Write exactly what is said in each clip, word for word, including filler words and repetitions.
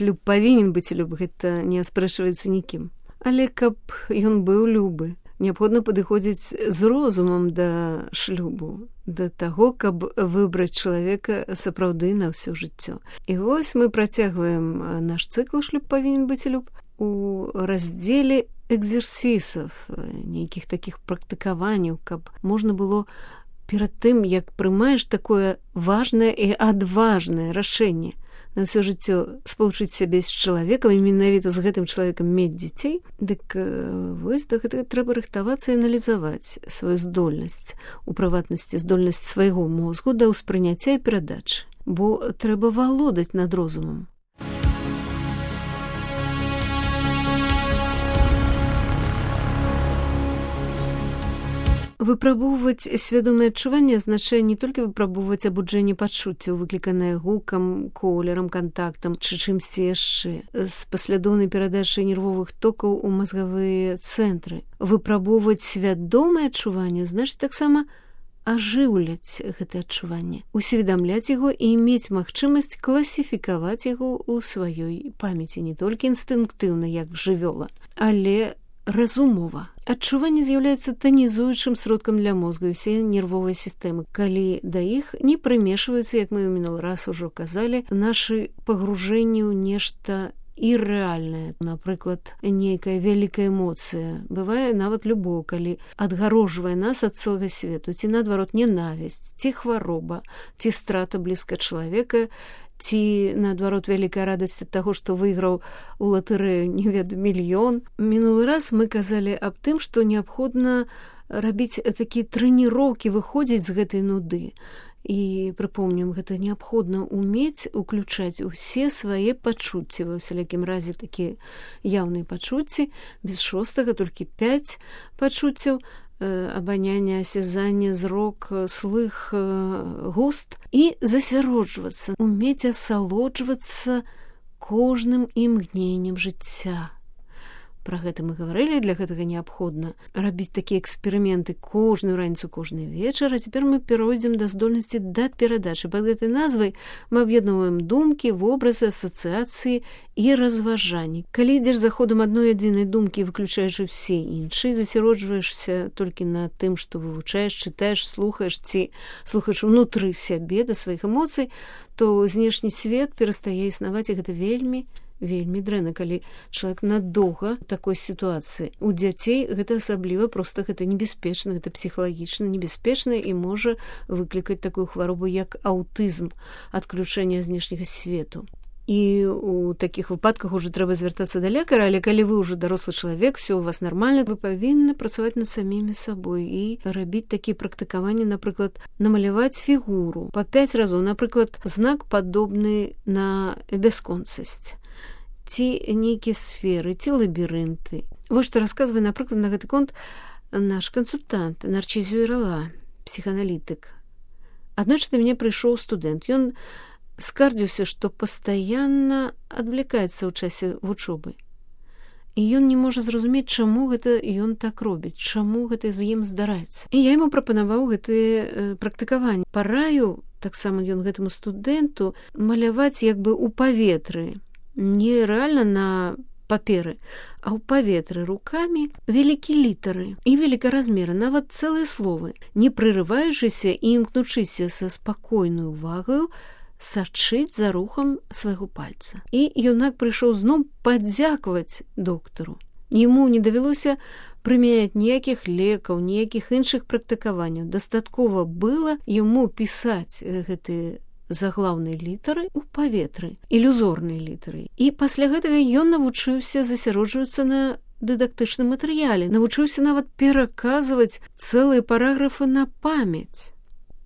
шлюб павінен быць любы, гэта не аспрэчваецца нікім. Але каб ён быў любы, неабходна падыходзіць з розумам да шлюбу, да таго, каб выбраць чалавека сапраўды на ўсё жыццё. І вось мы працягваем наш цыкл «Шлюб павінен быць люб» у раздзеле экзерсісаў, нейкіх такіх практыкаванняў, каб можна было перад тым, як прымаеш такое важнае і адважнае рашэнне на ўсё жыццё спалучыць сябе з чалавекам і менавіта з гэтым чалавекам мець дзяцей, дык вось да гэтага трэба рыхтавацца і аналізаваць сваю здольнасць, у прыватнасці здольнасць свайго мозгу да ўспрыняцця і перадачы, бо трэба валодаць над розумам. Выпрабоўваць свядомае адчуванне азначае не толькі выпрабоўваць абуджэнне пачуццяў, выкліканае гукам, колерам, кантактам ці чымсьці яшчэ, з паслядоўнай перадачай нервовых токаў у мазгавыя цэнтры. Выпрабоўваць свядомае адчуванне значыць таксама ажыўляць гэтае адчуванне, усведамляць яго і мець магчымасць класіфікаваць яго ў сваёй памяці не толькі інстынктыўна, як жывёла, але разумова. Адчуванне з'яўляецца танізуючым сродкам для мозгу і ўсе нервовыя сістэмы, калі да іх не прымешваюцца, як мы ў мінулы раз ужо казалі, нашы пагружэнні ў нешта іррэальнае. Напрыклад, нейкая вялікая эмоцыя, бывае нават любоў, калі адгароджвае нас ад цэлага свету, ці наадварот ненавісць, ці хвароба, ці страта блізка чалавека, ці, наадварот, вялікая радасць ад таго, што выйграў у латарэю не ведаю мільён. Мінулы раз мы казалі аб тым, што неабходна рабіць такія трэніроўкі, выходзіць з гэтай нуды. І, прыпомнім, гэта неабходна ўмець уключаць усе свае пачуцці, ва ўсялякім разе такія яўныя пачуцці, без шостага толькі пяць пачуццяў, абанянне, асязанне, зрок, слых, густ, і засяроджвацца, умець асалоджвацца кожным імгненнем жыцця. Пра гэта мы гаварылі, для гэтага неабходна рабіць такія эксперыменты кожную раніцу, кожны вечар, а цяпер мы перайдзем да здольнасці да перадачы. Пад гэтай назвай мы аб'ядноўваем думкі, вобразы, асацыяцыі і разважанні. Калі ідзеш за ходам адной адзінай думкі, выключаючы ўсе іншыя, засяроджваешся толькі на тым, што вывучаеш, чытаеш, слухаеш ці слухаеш унутры сябе да сваіх эмоцый, то знешні свет перастае існаваць, і гэта вельмі вельмі дрэнна, калі чалавек надоўга такой сітуацыі. У дзяцей гэта асабліва, проста гэта небяспечна, гэта псіхалагічна небяспечна і можа выклікаць такую хваробу, як аўтызм, адключэнне знешняга свету. І у такіх выпадках ужо трэба звяртацца да лекара, але калі вы ўжо дарослы чалавек, все у вас нармальна, вы павінны працаваць над самімі сабой і рабіць такія практыкаванні, напрыклад, намаляваць фігуру па пяць разоў, напрыклад, знак падобны на бясконцасць, ці нейкія сферы, ці лабірынты. Вось што расказвае, напрыклад, на гэты конт наш кансультант Нарчызю Ірала, псіханалітык. Аднойчы да мяне прыйшоў студэнт. Ён скардзіўся, што пастаянна адвлікаецца ў часе вучобы. І ён не можа зразумець, чаму гэта ён так робіць, чаму гэта з ім здараецца. І я яму прапанаваў гэтыя практыкаванні. Параю, таксама ён гэтаму студэнту, маляваць як бы ў паветры, не рэальна на паперы, а ў паветры рукамі вялікія літары і велікаразмеры, нават цэлыя словы, не прырываючыся і імкнучыся са спакойнай увагаю сачыць за рухам свайго пальца. І юнак прыйшоў зноў падзякаваць доктару. Яму не давялося прымяняць ніякіх лекаў, ніякіх іншых практыкаванняў. Дастаткова было яму пісаць гэтыя заглаўныя літары ў паветры, ілюзорныя літары. І пасля гэтага ён навучыўся засяроджвацца на дыдактычным матэрыяле, навучыўся нават пераказваць цэлыя параграфы на памяць.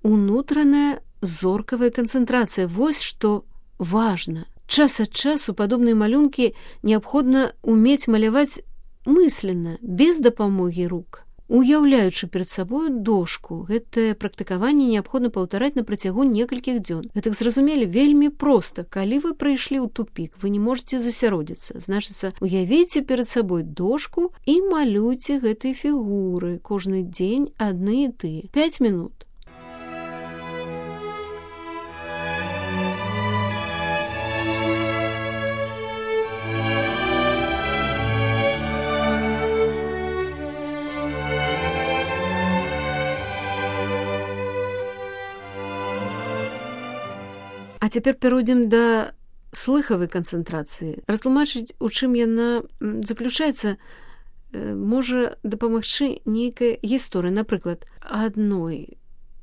Унутраная зоркавая канцэнтрацыя, вось што важна. Час ад часу падобныя малюнкі неабходна умець маляваць мысленно, без дапамогі рук. Уяўляючы перад сабою дошку, гэтае практыкаванне неабходна паўтараць на працягу некалькіх дзён. Гэтак зразумелі вельмі проста. Калі вы прыйшлі ў тупік, вы не можаце засяродзіцца. Значыцца, уявіце перад сабой дошку і малюйце гэтыя фігуры кожны дзень адны і тыя. пяць мінут. А цяпер перайдзем да слыхавай канцэнтрацыі. Растлумачыць, у чым яна заключаецца, можа дапамагчы нейкая гісторыя. Напрыклад, адной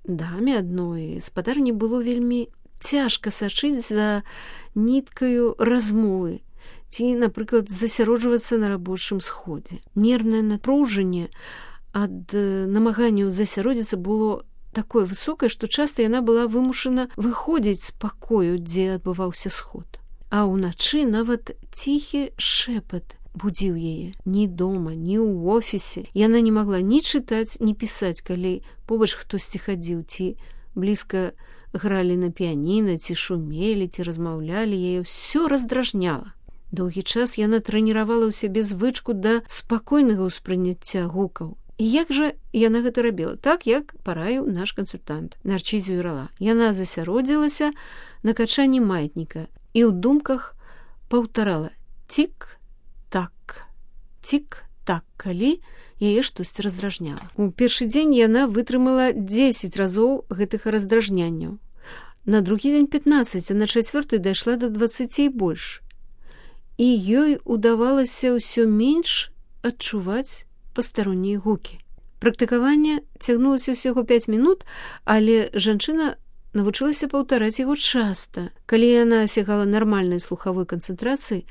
даме, адной спадарні было вельмі цяжка сачыць за ніткаю размовы ці, напрыклад, засяроджвацца на рабочым сходзе. Нервнае напружанне ад намаганняў засяродзіцца было такое высокае, што часта яна была вымушана выходзіць з пакою, дзе адбываўся сход. А ўначы нават ціхі шэпат будзіў яе. Ні дома, ні ў офісе. Яна не магла ні чытаць, ні пісаць, калі побач хтосьці хадзіў, ці блізка гралі на піяніна, ці шумелі, ці размаўлялі, яе ўсё раздражняла. Доўгі час яна трэніравала ў сябе звычку да спакойнага ўспрыняцця гукаў. І як жа яна гэта рабіла? Так, як параіў наш кансультант Нарчызю Ірала. Яна засяродзілася на качанні маятніка і ў думках паўтарала цік-так, цік-так, калі яе штосьці раздражняла. У першы дзень яна вытрымала дзесяць разоў гэтых раздражнянняў. На другі дзень пятнаццаць, а на чацвёрты дайшла да дваццаці і больш. І ёй удавалася ўсё менш адчуваць пастароннія гукі. Практыкаванне цягнулася ўсяго пяць мінут, але жанчына навучылася паўтараць яго часта. Калі яна асягала нармальнай слухавой канцэнтрацыі,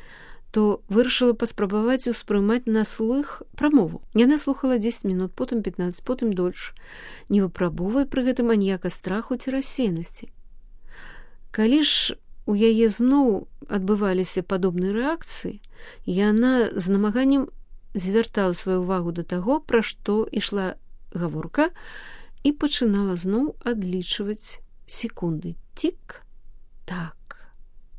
то вырашыла паспрабаваць успрымаць на слых прамову. Яна слухала дзесяць мінут, потым пятнаццаць, потым дольш, не выпрабоўвае пры гэтым аніяка страху ці рассеянасці. Калі ж у яе зноў адбываліся падобныя рэакцыі, яна з намаганнем звяртала сваю ўвагу да таго, пра што ішла гаворка, і пачынала зноў адлічваць секунды. Цік-так,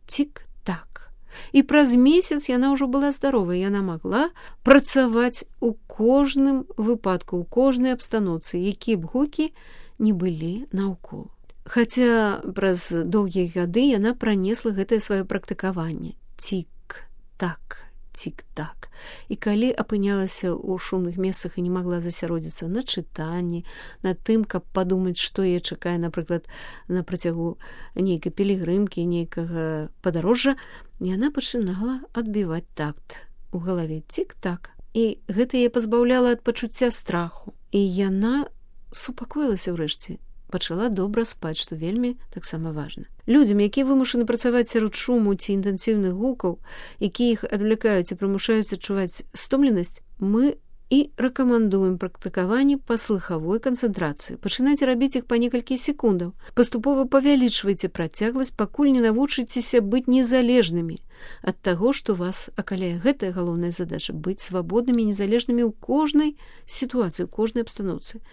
цік-так. І праз месяц яна ўжо была здаровая, яна магла працаваць у кожным выпадку, у кожнай абстаноўцы, якія б гукі не былі наўкол. Хаця праз доўгія гады яна пранесла гэтае сваё практыкаванне. Цік-так, цік-так. І калі апынялася ў шумных месцах і не магла засяродзіцца на чытанні, на тым, каб падумаць, што яе чакае, напрыклад, на працягу нейкай пілігрымкі, нейкага падарожжа, яна пачынала адбіваць такт у галаве. Цік-так. І гэта яе пазбаўляла ад пачуцця страху. І яна супакоілася ўрэшце, пачала добра спаць, што вельмі таксама важна. Людзям, якія вымушаны працаваць сярод шуму ці інтэнсіўных гукаў, якія іх адвлякаюць і прымушаюць адчуваць стомленасць, мы і рэкамендуем практыкаванне па слыхавой канцэнтрацыі. Пачынайце рабіць іх па некалькі секундаў. Паступова павялічвайце працягласць, пакуль не навучыцеся быць незалежнымі ад таго, што вас акаляе. Гэтая галоўная задача — быць свабоднымі, незалежнымі ў кожнай сітуацыі, ў кожнай абстаноўцы.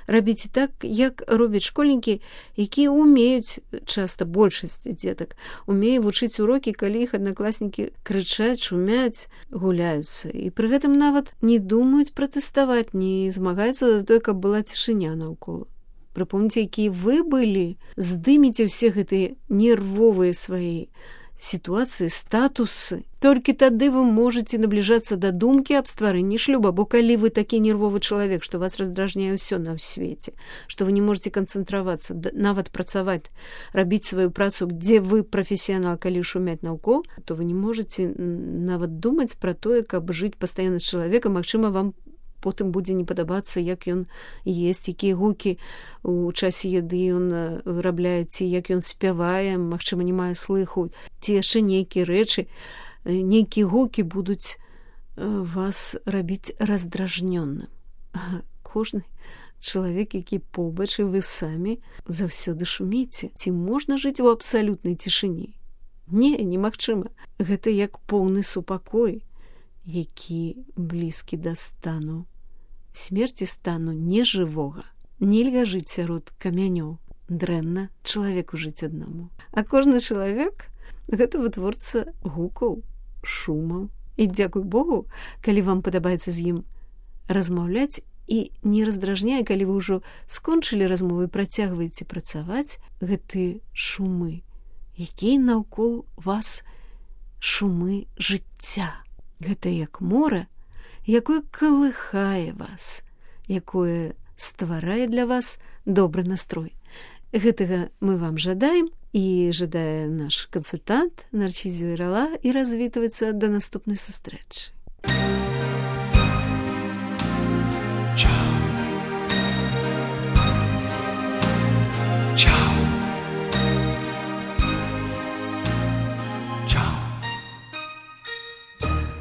Рабіце так, як робяць школьнікі, якія умеюць, часта большасць дзетак, умее вучыць урокі, калі іх аднакласнікі крычаць, шумяць, гуляюцца. І пры гэтым нават не думаюць пратэставаць, не змагаюцца за тое, каб была цішыня наўкол. Прыпомніце, якія вы былі, здыміце ўсе гэтыя нервовыя свае сітуацыі, статусы. Толькі тады вы можаце набліжацца да думкі аб стварэнні шлюба, бо калі вы такі нервовы чалавек, што вас раздражняе ўсё на свеце, што вы не можаце канцэнтравацца, нават працаваць, рабіць сваю працу, дзе вы прафесіянал, калі шумяць наўкол, то вы не можаце нават думаць пра тое, каб жыць пастаянна з чалавекам. Магчыма, вам потым будзе не падабацца, як ён есць, якія гукі у часе яды ён вырабляе, ці як ён спявае, магчыма, не мае слыху, ці яшчэ нейкія рэчы, нейкія гукі будуць вас рабіць раздражнённым. Кожны чалавек, які побач, і вы самі заўсёды шуміце. Ці можна жыць у абсалютнай цішыні? Не, немагчыма. Гэта як поўны супакой, які блізкі да стану смерці, стану нежывога. Нельга жыць сярод камянёў. Дрэнна чалавеку жыць аднаму. А кожны чалавек — гэта вытворца гукаў, шумаў. І дзякуй Богу, калі вам падабаецца з ім размаўляць і не раздражняе, калі вы ўжо скончылі размову і працягваеце працаваць, гэтыя шумы, якія наўкол вас шумы жыцця. Гэта як мора, якое калыхае вас, якое стварае для вас добры настрой. Гэтага мы вам жадаем І жадае наш кансультант Нарцізіо Ірала і развітваецца да наступнай сустрэчы.